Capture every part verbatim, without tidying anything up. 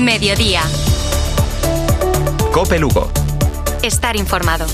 Mediodía. COPE Lugo. Estar informado.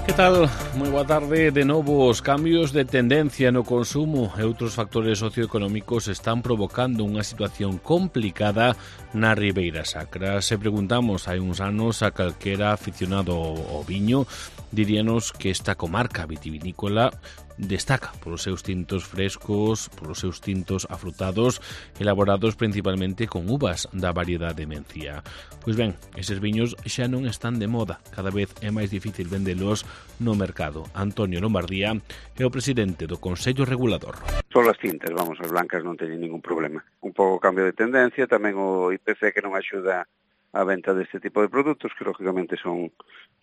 Que tal? Moi boa tarde. De novo, os cambios de tendencia no consumo e outros factores socioeconómicos están provocando unha situación complicada na Ribeira Sacra. Se preguntamos hai uns anos a calquera aficionado ao viño, diríanos que esta comarca vitivinícola destaca polos seus tintos frescos, polos seus tintos afrutados, elaborados principalmente con uvas da variedade Mencía. Pois ben, eses viños xa non están de moda, cada vez é máis difícil vendelos no mercado. Antonio Lombardía é o presidente do Consello Regulador. Son as tintas, vamos, as blancas non teñen ningún problema. Un pouco cambio de tendencia, tamén o I P C que non axuda a venta deste tipo de produtos, que lógicamente son,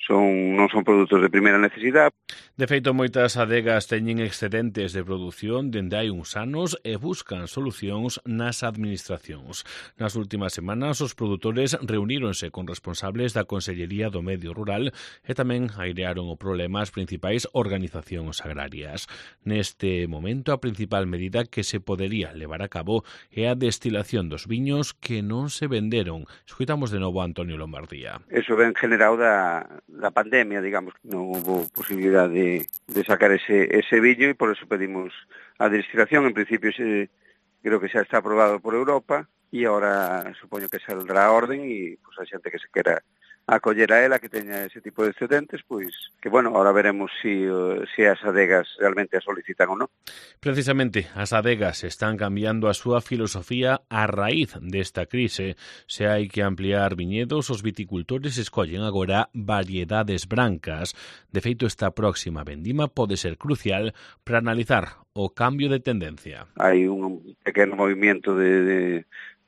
son non son produtos de primeira necesidade. De feito, moitas adegas teñen excedentes de produción dende hai uns anos e buscan solucións nas administracións. Nas últimas semanas, os produtores reuníronse con responsables da Consellería do Medio Rural e tamén airearon o problema as principais organizacións agrarias. Neste momento, a principal medida que se podería levar a cabo é a destilación dos viños que non se venderon. Escoitamos de novo a Antonio Lombardía. Eso ven generado da, da pandemia, digamos, non houve posibilidade de, de sacar ese, ese viño e por eso pedimos a destilación. En principio se, creo que xa está aprobado por Europa e agora supoño que saldrá a orden e pues, a xente que se quera acoller a ela, que teña ese tipo de excedentes, pois que, bueno, ahora veremos si, si as adegas realmente a solicitan ou non. Precisamente, as adegas están cambiando a súa filosofía a raíz desta crise. Se hai que ampliar viñedos, os viticultores escollen agora variedades brancas. De feito, esta próxima vendima pode ser crucial para analizar o cambio de tendencia. Hai un pequeno movimento de, de,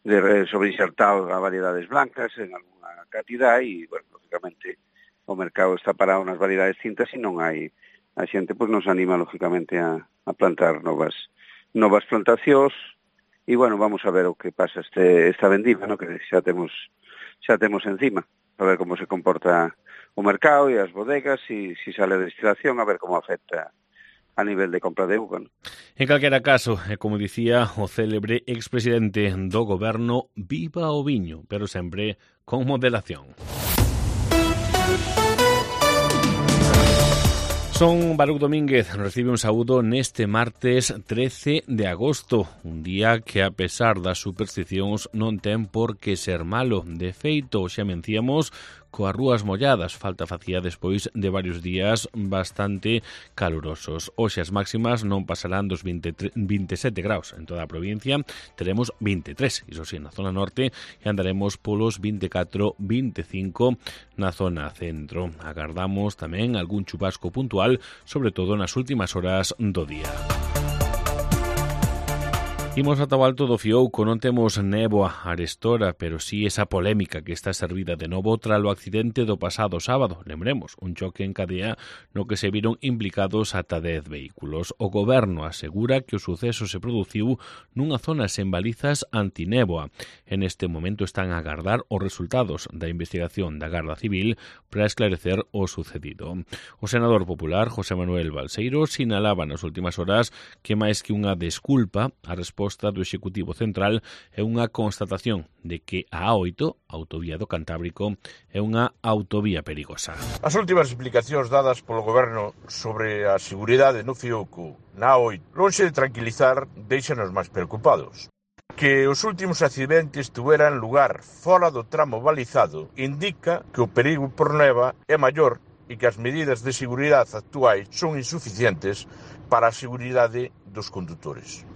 de sobreinsertado a variedades blancas en algún cantidad e, bueno, lógicamente o mercado está parado nas variedades tintas e non hai, a xente pois nos anima lógicamente a, a plantar novas novas plantacións e, bueno, vamos a ver o que pasa este esta vendima, no, que xa temos xa temos encima, a ver como se comporta o mercado e as bodegas, e si sale a destilación, a ver como afecta a nivel de compra de uva. ¿No? En calquera caso, e como dicía o célebre expresidente do goberno, viva o viño, pero sempre con moderación. Son Baruch Domínguez, recibe un saúdo neste martes trece de agosto, un día que, a pesar das supersticións, non ten por que ser malo. De feito, xa mencíamos, coas rúas molladas, falta facía despois de varios días bastante calurosos. Hoxe as máximas non pasarán dos veintesete graus en toda a provincia, teremos veintitrés, iso sí, na zona norte, e andaremos polos veinticatro, veinticinco na zona centro. Agardamos tamén algún chubasco puntual, sobre todo nas últimas horas do día. Imos ata o alto do Fiouco, non temos néboa arestora, pero sí esa polémica que está servida de novo tras o accidente do pasado sábado. Lembremos, un choque en cadea no que se viron implicados ata dez vehículos. O goberno asegura que o suceso se produciu nunha zona sen balizas antinéboa. En este momento están a agardar os resultados da investigación da Garda Civil para esclarecer o sucedido. O senador popular, José Manuel Balseiro, sinalaba nas últimas horas que máis que unha desculpa, a resposta do Executivo Central é unha constatación de que a A oito, autovía do Cantábrico, é unha autovía perigosa. As últimas explicacións dadas polo Goberno sobre a seguridade no Fiouco na A oito, lonxe de tranquilizar, deixanos máis preocupados. Que os últimos accidentes tuveran lugar fora do tramo balizado indica que o perigo por neva é maior e que as medidas de seguridade actuais son insuficientes para a seguridade dos condutores.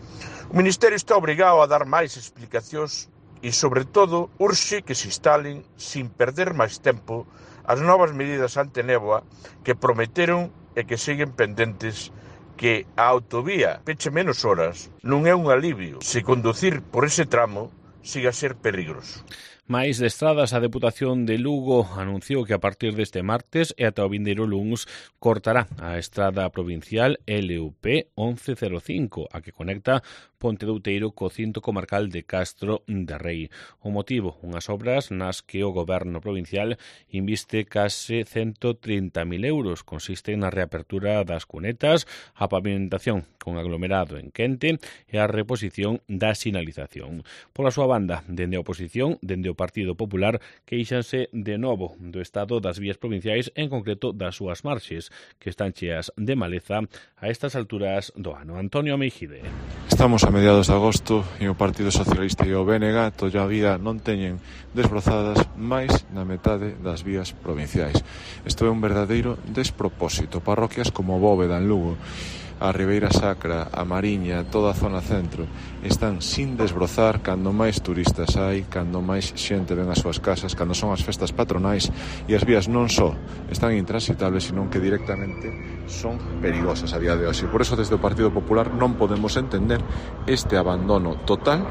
O Ministerio está obrigado a dar máis explicacións e, sobre todo, urxe que se instalen, sin perder máis tempo, as novas medidas antenéboa que prometeron e que seguen pendentes, que a autovía peche menos horas non é un alivio se conducir por ese tramo siga a ser peligroso. Mais de estradas, a Deputación de Lugo anunciou que a partir deste martes e ata o vindeiro luns cortará a estrada provincial L U P once cero cinco, a que conecta Ponte de Outeiro co cinto comarcal de Castro de Rei. O motivo, unhas obras nas que o goberno provincial inviste case ciento trinta mil euros. Consisten na reapertura das cunetas, a pavimentación con aglomerado en quente e a reposición da sinalización. Pola súa banda, dende a oposición, dende o Partido Popular, queixanse de novo do estado das vías provinciais, en concreto das súas marxes, que están cheas de maleza a estas alturas do ano. Antonio Meijide. Estamos a mediados de agosto e o Partido Socialista e o B N G todavía non teñen desbrozadas máis na metade das vías provinciais. Isto é un verdadeiro despropósito. Parroquias como Bóveda en Lugo, a Ribeira Sacra, a Mariña, toda a zona centro, están sin desbrozar cando máis turistas hai, cando máis xente ven ás súas casas, cando son as festas patronais, e as vías non só están intransitables, senón que directamente son perigosas a día de hoxe. Por eso, desde o Partido Popular non podemos entender este abandono total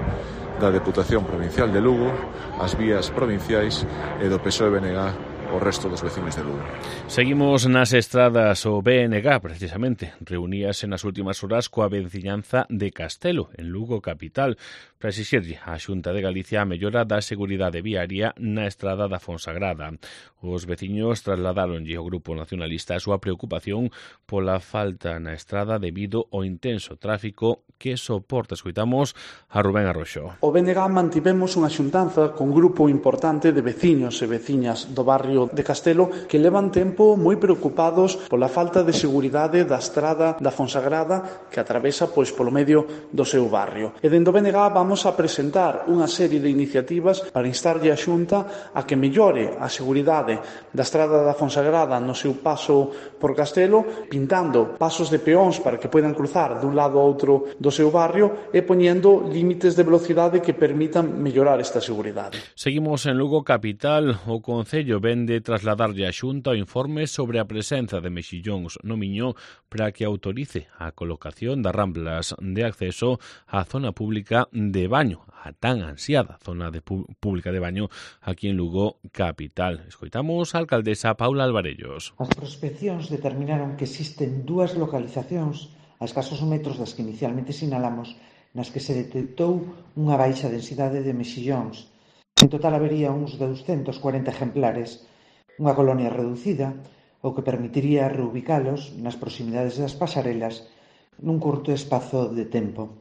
da Deputación Provincial de Lugo, as vías provinciais e do P S O E B N G o resto dos vecinos de Lugo. Seguimos nas estradas. O B N G, precisamente, reuníase nas últimas horas coa veciñanza de Castelo, en Lugo capital, para exixirlle á Xunta de Galicia a mellora da seguridade viaria na estrada da Fonsagrada. Os veciños trasladaronlle ao Grupo Nacionalista a súa preocupación pola falta na estrada debido ao intenso tráfico que soporta. Escoitamos a Rubén Arroxo. O B N G mantivemos unha xuntanza con un grupo importante de veciños e veciñas do barrio de Castelo que levan tempo moi preocupados pola falta de seguridade da estrada da Fonsagrada que atravesa pois polo medio do seu barrio. E dentro do B N G vamos a presentar unha serie de iniciativas para instarlle a Xunta a que mellore a seguridade da estrada da Fonsagrada no seu paso por Castelo, pintando pasos de peóns para que poidan cruzar dun lado a outro do seu barrio e poñendo límites de velocidade que permitan mellorar esta seguridade. Seguimos en Lugo capital. O Concello vende trasladarlle a Xunta o informe sobre a presenza de mexillóns no Miño para que autorice a colocación das ramplas de acceso á zona pública de baño, a tan ansiada zona de pública de baño aquí en Lugo capital. Escoitamos a alcaldesa Paula Alvarellos. As prospeccións determinaron que existen dúas localizacións a escasos metros das que inicialmente sinalamos nas que se detectou unha baixa densidade de mexillóns. En total habería uns doscientos cuarenta exemplares, unha colonia reducida, o que permitiría reubicalos nas proximidades das pasarelas nun curto espazo de tempo.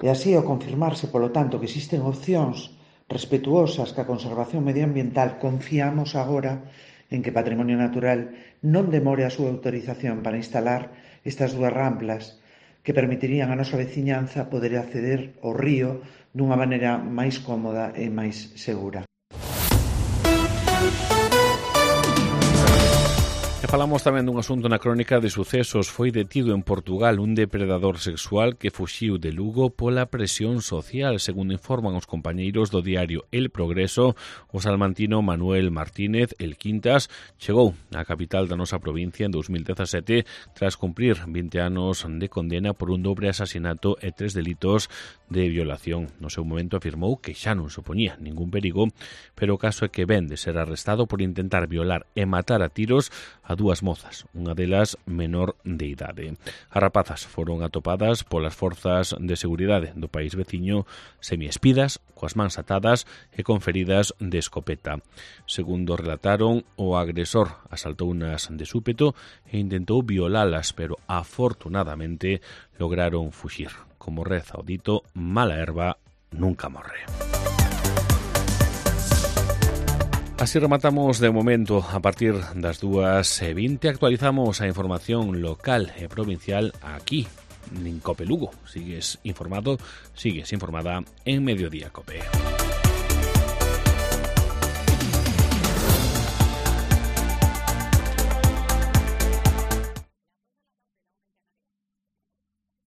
E así, ao confirmarse, polo tanto, que existen opcións respetuosas ca conservación medioambiental, confiamos agora en que Patrimonio Natural non demore a súa autorización para instalar estas dúas ramplas que permitirían a nosa veciñanza poder acceder ao río dunha maneira máis cómoda e máis segura. E falamos tamén dun asunto na crónica de sucesos. Foi detido en Portugal un depredador sexual que fuxiu de Lugo pola presión social. Segundo informan os compañeiros do diario El Progreso, o salmantino Manuel Martínez El Quintas chegou á capital da nosa provincia en dos mil dezasete tras cumprir vinte anos de condena por un dobre asasinato e tres delitos de violación. No seu momento afirmou que xa non supoñía ningún perigo, pero o caso é que ven de ser arrestado por intentar violar e matar a tiros a dúas mozas, unha delas menor de idade. As rapazas foron atopadas polas forzas de seguridade do país veciño semiespidas, coas mans atadas e con feridas de escopeta. Segundo relataron, o agresor asaltounas de súpeto e intentou violalas, pero afortunadamente lograron fuxir. Como reza o dito, mala erva nunca morre. Así rematamos de momento. A partir das dúas e vinte actualizamos a información local e provincial aquí en Cope Lugo. Sigues informado, sigues informada en Mediodía Cope.